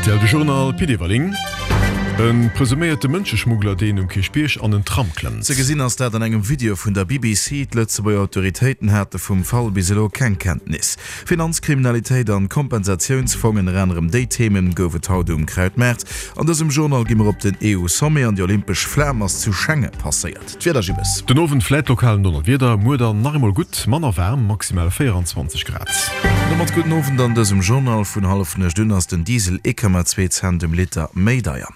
Rtl De Journal, Pit Everling. E presuméierte Mënscheschmuggler, deen um Kierchbierg an en Tram klëmmt. Ze gesinn ass dat an engem Video vun der BBC. D'Lëtzebuerger Autoritéiten hate vum Fall bis elo keng Kenntnis. Finanzkriminalitéit an Kompensatiounsfong, ënner anerem déi Themen gouf et haut um Krautmaart. An dësem Journal gi mer op den EU-Sommet an déi olympesch Flam ass zu Schengen passéiert. D'Wieder Gibbes. Den Owend vläit lokal en Donnerwieder, muer dann nach eemol gutt manner waarm, maximal 24 Grad. An domat gudden Owend an dësem Journal. Vun hallefnuecht un ass den Diesel 1,2 Cent um Liter méi deier.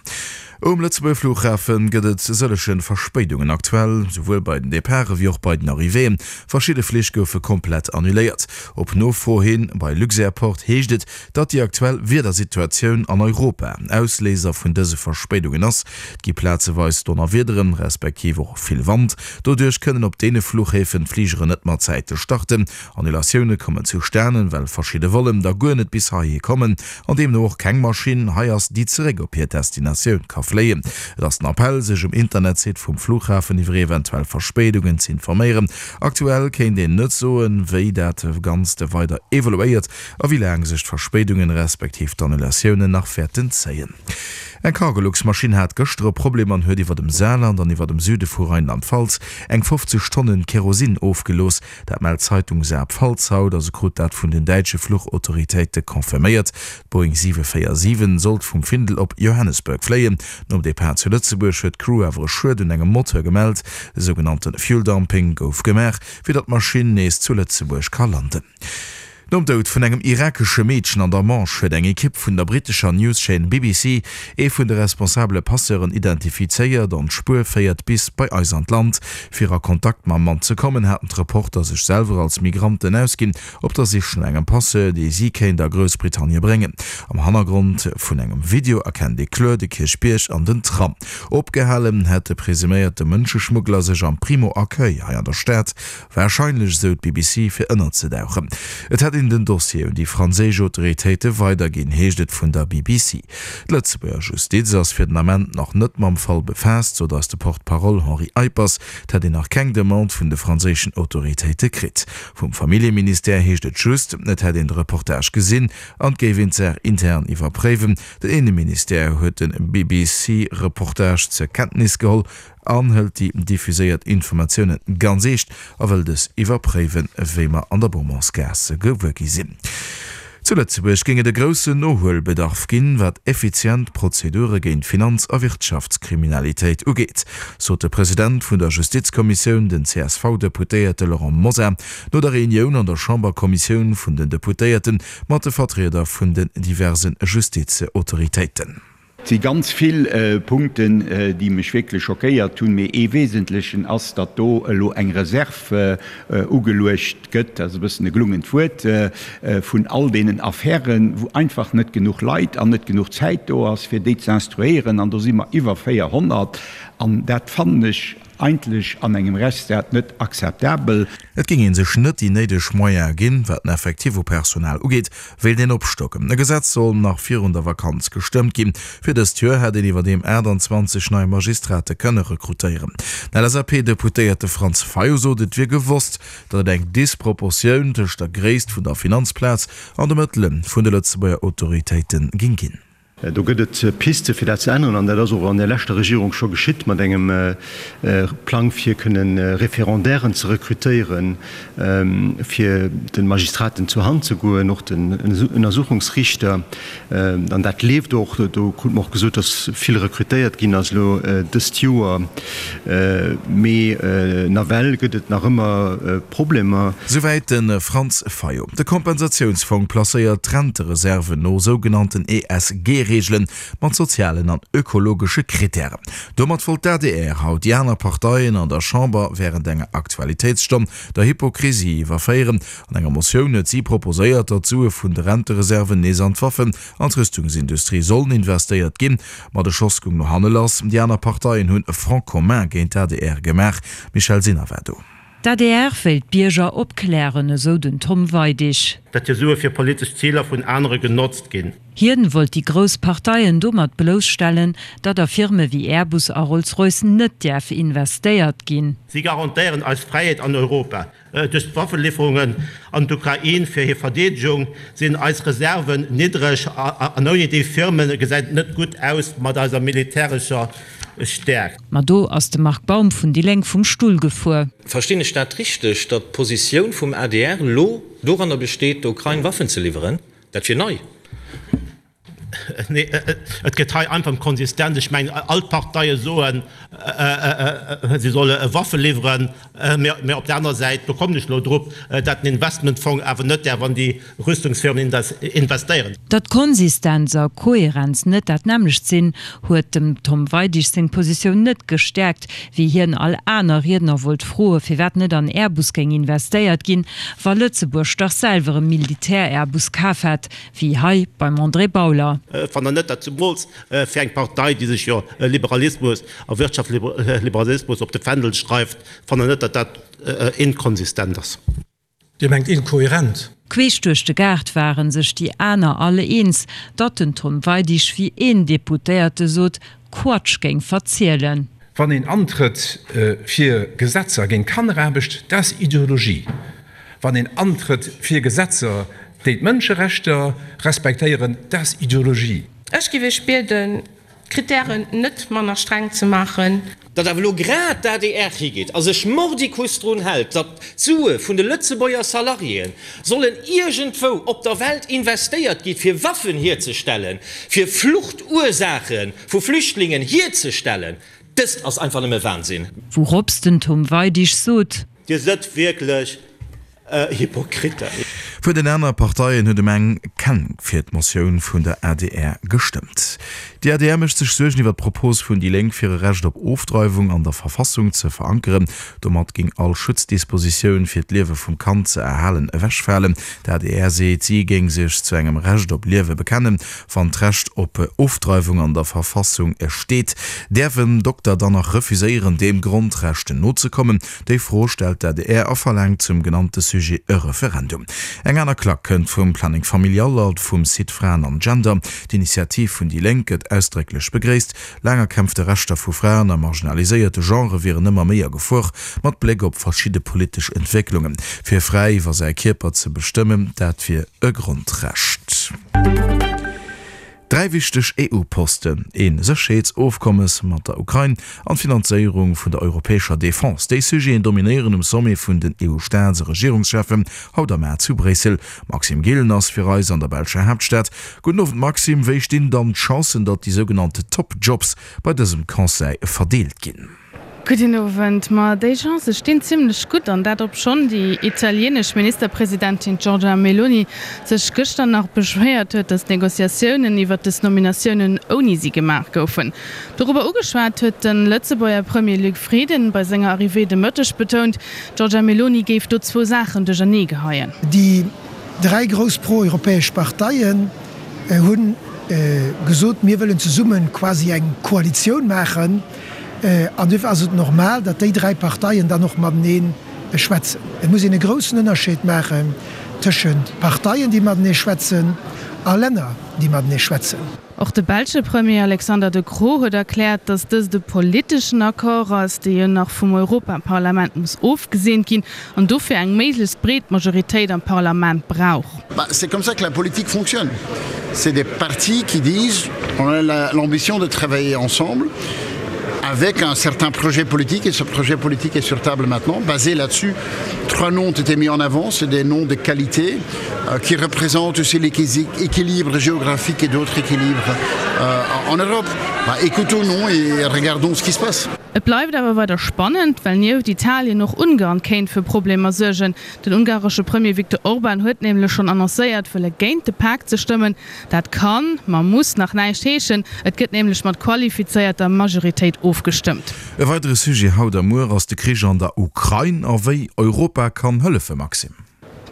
Um Lëtzebuerger Flughafen gëtt et sëllege Verspéidungen aktuell, souwuel bei den Departe wéi och bei den Arrivéeën. Verschidde Flich goufe komplett annuléiert. Op Nofro hin bei Luxairport heescht et, datt déi aktuell Wiedersituatioun an Europa Ausléiser vun dëse Verspéidungen ass. Et gi plazeweis Donnerwiederen, respektiv och vill Wand. Doduerch kënnen op deene Fluchhäfen d'Fligeren net mat Zäite starten. Annulatioune kommen zustanen, well verschidde Vollen da guer net bis heihi kommen an deemno och keng Maschinn hei ass, déi zeréck op hir Destinatioun ka fléien. Et ass den Appell, sech um Internetsite vum Flughafen iwwer eventuell Verspéidungen ze informéieren. Aktuell kéint een net soen, wéi dat Ganzt weider evoluéiert a wéi laang sech d'Verspéidungen, respektiv d'Annulatiounen nach wäerten zéien. Eng Cargolux-Maschinn hat gëschter e Problem an huet iwwer dem Saarland an iwwer dem Süde vu Rheinland-Pfalz eng 50 Tonnen Kerosin ofgelooss. Dat mellt d'Zeitung Saar-Pfalz haut a se krut dat vun den däitsche Fluchautoritéite confirméiert. D'Boeing 747 sollt vum Findel op Johannesburg fléien. Nom Depart zu Lëtzebuerg huet d'Crew awer e Schued un engem Moteur gemellt. E sougenannte Fuel Dumping gouf gemaach, fir datt d'Maschinn nees zu Lëtzebuerg ka landen. Nom Doud vun engem irakesche Meedchen an der Manche huet eng Ekipp vun der brittescher Newschaîne BBC ee vun de responsabele Passeuren identifizéiert an d'Spuer féiert bis bei eis an d'Land. Fir a Kontakt mam Mann ze kommen, haten d'Reporter sech selwer als Migranten ausginn, op der Sich no engem Passeur, dee si kéint a Groussbritannie bréngen. Am Hannergrond vun engem Video erkennt ee kloer de Kierchbierg an den Tram. Opgehalen hätt de presuméierte Mënscheschmuggler sech am Primo Accueil hei an der Stad. Warscheinlech, esou d'BBC, fir ënnerzedauchen. Et hätt een den Dossier un déi franséisch Autoritéite weiderginn, heescht et vun der BBC. D'Lëtzebuerger Justiz ass fir den Ament nach net mam Fall befaasst, sot eis de Porte-parole Henri Eippers. Et hätt een nach keng Demande vun de franséischen Autoritéite kritt. Vum Familljeministère heescht et just, et hätt een de Reportage gesinn an et géif een d'Saach intern iwwerpréiwen. Den Inneministère huet de BBC-Reportage zur Kenntnis geholl an hëlt déi diffuséiert Informatioune ganz eescht a wëll dës iwwerpréiwen, wéi mer an der Beaumontsgaass gewuer gi sinn. Zu Lëtzebuerg géing et e groussen Nohuelbedarf ginn, wat effizient Prozedure géint Finanz a Wirtschaftskriminalitéit ugeet, sot de President vun der Justizkommissioun, den CSV-Deputéierte Laurent Mosar, no der Reunioun an der Chamberkommissioun vun den Deputéierte mat de Vertrieder vun den diverse Justizautoritéiten. Et si ganz vill Punkten, déi mech wierklech schockéiert hunn, mee ee wesentlechen ass, datt do elo eng Reserv ugeluecht gëtt, dat ass e bëssen e gelungent Wuert, vun all deenen Affären, wou einfach net genuch Leit an net genuch Zäit do ass, fir déi ze instruéieren. An do si mer iwwer 400. An dat fannen ech eigentlech an engem Rechtsstaat net akzeptabel. Et géing ee sech net déi néideg Moyene ginn, wat den Effectif u Personal ugeet, wéilt een opstocken. E Gesetz soll nach virun der Vakanz gestëmmt ginn. Fir dëst Joer hätt een iwwerdeem 28 nei Magistrate kënne rekrutéieren. Den LSAP-Deputéierte Franz Fayot sot, et wier gewosst, datt et eng Disproportioun tëscht der Gréisst vun der Finanzplaz an de Mëttele vun de Lëtzebuerger Autoritéite géing ginn. Do gëtt et Piste fir dat ze änneren an dat ass och an der leschter Regierung scho geschitt mat engem Plang fir kënne Référendairen ze rekrutéieren, fir de Magistraten zur Hand ze goen, och den Ënnersuchungsriichter. An dat leeft och. Do krute mer och gesot, datt vill rekrutéiert ginn ass elo dëst Joer. Mee nawell gëtt et nach ëmmer Problemer. Souwäit de Franz Fayot. De Kompensatiounsfong placéiert d'Rentereserven no sougenannten ESG-Reegelen mat sozialen an ökologesche Krittären. Domat wollt d'ADR haut déi aner Parteien an der Chamber wärend enger Aktualitéitsstonn der Hypokrisie iwwerféieren. An enger Motioun huet si proposéiert, datt d'Sue vun de Rentereserven nees an d'Waffen an d'Rüstungsindustrie sollen investéiert ginn. Ma de Schoss goung no hanne lass. Déi aner Parteien hunn e Front commun géint d'ADR gemaach. Michèle Sinner war do. D'ADR wéilt d'Bierger opklären, esou den Tom Weidig. Datt hir Sue fir politesch Ziler vun anere genotzt ginn. Hien wollt déi grouss Parteien domat blousstellen, datt a Firme wéi Airbus a Rolls-Royce net däerf investéiert ginn. Si garantéieren eis Fräiheet an Europa. Duerch d'Waffeliwwerungen an d'Ukrain fir hir Verdeedegung sinn eis Reserven niddreg an ouni déi Firme gesäit et net gutt aus mat eiser militärescher Stäerkt. Ma do ass de Marc Baum vun déi Lénk vum Stull gefuer. Verstinn ech dat richteg, datt d'Positioun vum adr elo doranner besteet, der Ukrain Waffen ze liwweren? Dat wier nei. Nee, et geet hei einfach ëm Konsistenz. Ech mengen, all d'Parteie soen, si solle Waffe liwweren, mä op der anerer Säit bekommen ech elo drop, datt den Investmentfong awer net däerf an déi Rüstungsfirmen investéieren. Datt Konsistenz a Kohärenz net dat nämmlecht sinn, huet dem Tom Weidig seng Positioun net gestäerkt, wéi hien all aner Riedner wollt froe firwat net an Airbus géing investéiert ginn, wa Lëtzebuerg dach selwer e Militär-Airbus kaf hätt. Wéi hei beim André Bauler. Fannt Der net, datt zemools fir eng Partei, déi sech jo Liberalismus a Wirtschaftsliberalismus op de Fändel schreift, fannt Der net, datt dat inkonsistent ass? Dir mengt inkohärent? Queesch duerch de Gaart ware sech déi aner all eens, datt den Tom Weidig, wéi een Deputéierte sot, Quatsch géing verzielen. Wann een antrëtt fir Gesetzer géint Kanneraarbecht, dat ass Ideologie. Wann een antrëtt fir Gesetzer, déi d'Mënscherechter respektéieren, dat ass Ideologie. Ech giff Iech bieden, d'Kritären net manner streng ze maachen. Datt awer elo grad d'ADR higeet a sech mordicus drun hält, datt d'Sue vun de Lëtzebuerger Salariéen sollen iergendwou op der Welt investéiert gi fir Waffen hierzestellen, fir Fluchtursaache vu Flüchtlingen hierzestellen, dëst ass einfach nëmme Wahnsinn. Wourops den Tom Weidig sot. Dir sëtt wierklech Hypokriten. Vun den aner Parteien huet ëm eng keng fir d'Motioun vun der adr gestëmmt. Déi adr mécht sech Suergen iwwer d'Propos vun déi Lénk fir e Recht op Ofdreiwung an der Verfassung ze verankeren. Domat géing all Schutzdispositioun fir d'Liewe vum Kand ze erhalen ewechfalen. D'adr seet, si géing sech zu engem Recht op Liewe bekennen. Wann d'Recht op Ofdreiwung an der Verfassung steet, däerf en Dokter dann nach refuséieren deem Grondrecht nozekommen? Déi Fro stellt d'ADR a verlaangt zum genannte Sujet e Referendum. Eng aner Klack kënnt vum Planning Familial a vum Site Fraen an Gender. D'Initiativ vun déi Lénk gëtt ausdrécklech begréisst. Laang erkämpfte Rechter vu Fraen a marginaliséierte Genrë wieren ëmmer méi a Gefor, mat Bléck op verschidde politesch Entwécklungen. Fir fräi iwwer säi Kierper ze bestëmmen, dat wier e Grondrecht. Dräi wichteg EU-Posten, ee Sécherheetsofkommes mat der Ukrain an d'Finanzéierung vun der europäescher Defense, déi Sujeten dominéieren um Sommet vun den EU-Staats a Regierungscheffen haut am Mar zu Bréissel. Maxime Gillen ass fir eis an der belscher Haaptstad. Gudden Owend Maxime, wéi stinn dann d'Chancen, datt déi sougenannte Top Jobs bei dësem Conseil verdeelt ginn? Gudden Owend. Ma déi Chancë stinn zimlech gutt, an dat obschonn déi italienesch Ministerpresidentin Giorgia Meloni sech gëschter nach beschwéiert huet, datt d'Negociatiounen iwwer dës Nominatiounen ouni si gemaach goufen. Dorobber ugeschwat huet de Lëtzebuerger Premier Luc Frieden bei senger Arrivée de Mëtteg betount, d'Giorgia Meloni géif do zwou Saachen duerchernee geheien. Déi dräi grouss pro-europäesch Parteien hu gesot, mir wëllen zesumme quasi eng Koalitioun maachen. An duerfir ass et normal, datt déi dräi Parteien dann och matenee schwätzen. Et muss een e groussen Ënnerscheed maachen tëschent Parteien, déi matenee schwätzen, a Länner, déi matenee schwätzen. Och de belsche Premier Alexander De Croo huet erkläert, datt dëst e politeschen Accord ass, dee jo nach vum Europaparlament muss ofgeseent ginn an dofir eng méiglechst breet Majoritéit am Parlament brauch. C'est comme ça que la politique fonctionne. C'est des partis qui disent on a l'ambition de travailler ensemble avec un certain projet politique et ce projet politique est sur table maintenant basé là-dessus trois noms ont été mis en avant c'est des noms de qualité euh, qui représentent aussi l'équilibre géographique et d'autres équilibres euh, en Europe bah, écoutons nous et regardons ce qui se passe. Et bleift awer weider spannend, well nieft Italien och Ungarn kéint fir Problemer suergen. Den ungaresche Premier Viktor Orban huet nämlech schonn annoncéiert, wëlle géint de Pak ze stëmmen. Dat kann, ma muss nach näischt heeschen. Et gëtt nämlech mat qualifizéierter Majoritéit ofgestëmmt. E weidere Sujet haut a muer ass de Krich an der Ukrain a wéi Europa kann hëllefe, Maxime.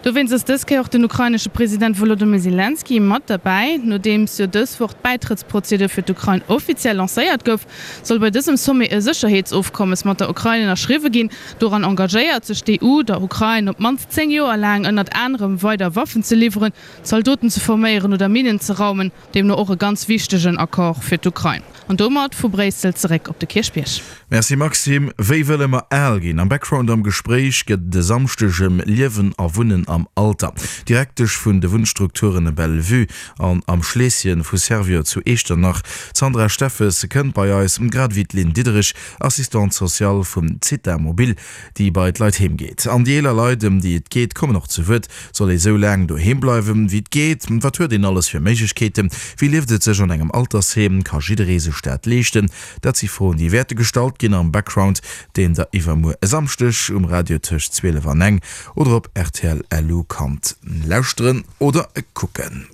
Dowéinst ass dës Kéier och den ukrainesche President Wolodymyr Selenskyj mat derbäi. Nodeems jo dës Woch d'Bäitrëttsprozedur fir d'Ukrain offiziell lancéiert gouf, soll bei dësem Sommet e Sécherheetsofkommes mat der Ukrain ënnerschriwwe ginn. Doran engagéiert sech d'EU, der Ukrain op d'mannst 10 Joer laang ënnert anerem weider Waffen ze liwweren, Zaldoten ze forméieren oder Minnen ze raumen. Deemno och e ganz wichtegen Accord fir d'Ukrain. An domat vu Bréissel zeréck op de Kierchbierg. Merci Maxime. Wéi wëlle mer al ginn? Am Background am Gespréich gëtt et e Samschdeg ëm Liewen a Wunnen am Alter. D'Direktesch vun de Wunnstrukturen Belle-Vue an Am Schleesschen vu Servior zu Eechternach, d'Sandra Steffes, kënnt bei eis, grad ewéi d'Lynn Diderich, Assistante sociale vum Zitha Mobil, déi bei d'Leit heem geet. An déi eeler Leit, ëm déi et geet, kommen och zu Wuert. Soll ee sou laang doheem bleiwen, wéi et geet? Wat huet een alles fir Méiglechkeeten? Wéi lieft et sech an engem Altersheem? Ka jidderee sech dat leeschten? Dat si Froen, déi wäerte gestallt ginn am Background, deen der iwwermuer e Samschdeg um Radio tëscht 12 an eng oder op rtl LU kannt lauschteren oder kucken.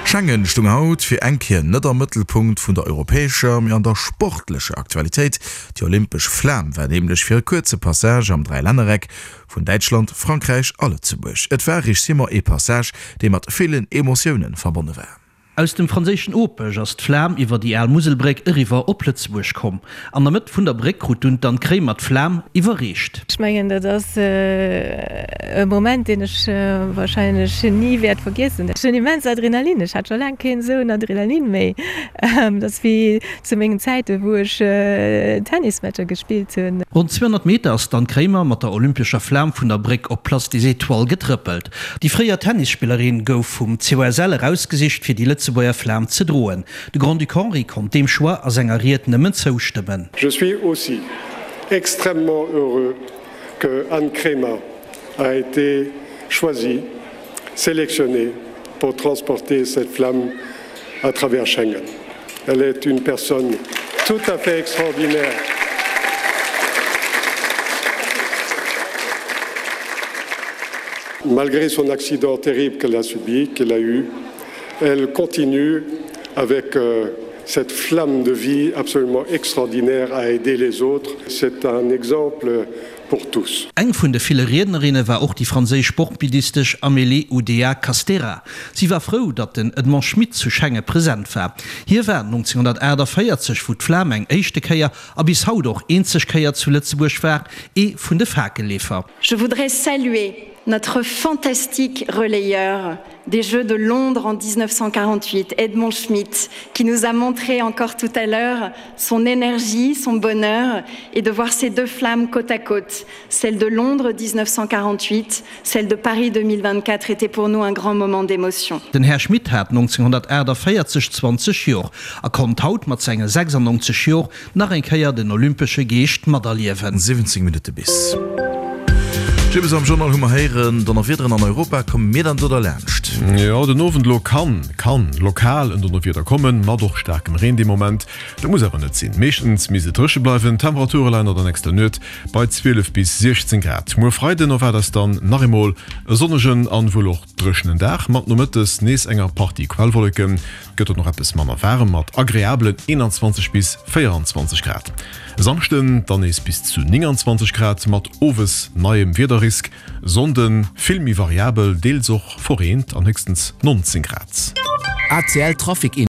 Schengen stung haut fir eng Kéier net am Mëttelpunkt vun der europäescher, mee an der sportlecher Aktualitéit. Déi olympesch Flam war nämlech fir e kuerze Passage am Dräilännereck vun Däitschland, Frankräich a Lëtzebuerg. Et war, Rich Simon, ee Passage, dee mat villen Emotioune verbonne war. Aus dem franséischen Opech ass d'Flam iwwer déi al Muselbréck eriwwer op Lëtzebuerg komm. An der Mëtt vun der Bréck krut dunn d'Anne Kremer d'Flam iwwerreecht. Ech mengen, dat ass e Moment, deen ech warscheinlech ni wäert vergiessen. Ech hunn immens Adrenalin, ech hat scho laang keen esou en Adrenalin méi. Dat ass wéi zu mengen Zäiten, wou ech Tennismatcher gespillt hunn. Ronn 200 Meter ass d'Anne Kremer mat der olympescher Flam vun der Bréck op d'Place des Étoiles getrëppelt. Déi fréier Tennisspillerin gouf vum COSL erausgesicht, fir déi Lëtzebuerger Flam ze droen. De Grand-Duc Henri konnt deem Choix a senger Ried nëmmen zoustëmmen. Je suis aussi extrêmement heureux que Anne Kremer a été choisie, sélectionnée pour transporter cette flamme à travers Schengen. Elle est une personne tout à fait extraordinaire. Malgré son accident terrible qu'elle a subi, qu'elle a eu, elle continue avec euh, cette flamme de vie absolument extraordinaire à aider les autres. C'est un exemple pour tous. Eng vun de ville Riednerinne war och déi franséisch Sportministesch Amélie Oudéa-Castéra. Si war frou, datt den Edmond Schmit zu Schengen present war. Hie war 1948, wou d'Flam eng éischte Kéier a bis haut och eenzeg Kéier zu Lëtzebuerg war, ee vun de Fakelleefer. Je voudrais saluer notre fantastique relayeur des Jeux de Londres en 1948, Edmond Schmitt, qui nous a montré encore tout à l'heure son énergie, son bonheur et de voir ces deux flammes côte à côte, celle de Londres 1948, celle de Paris 2024 était pour nous un grand moment d'émotion. Den Här Schmit hat 1948 20 Jor a konnt haut mat senge 96 Jor Nach eng Kéier den olympesche Geescht materliewen. 17 Minutte bis. Jibbes am Journal hu mer héieren, Donnerwiederen an Europa, komme mir dann do derlaanscht? Jo, den Owend elo kann, kann lokal en Donnerwieder kommen, mat och staarkem Reen dee Moment. Dat muss awer net sinn, meeschtens misst et dréche bleiwen. D'Temperature leien an der nächster Nuet bei 12 bis 16 Grad. Muer Freiden erwaart eis dann nach eemol e sonnegen an wuel och dréchenen Dag, mat nomëttes nees enger Partie Quellwolleken. Gëtt et nach eppes manner waarem mat agreabelen 21 bis 24 Grad. E Samschden dann nees bis zu 29 Grad mat owes neiem Wiederrisk. Sonnde vill méi variabel, deels och verreent an héchstens 19 Grad. ACL Trafic.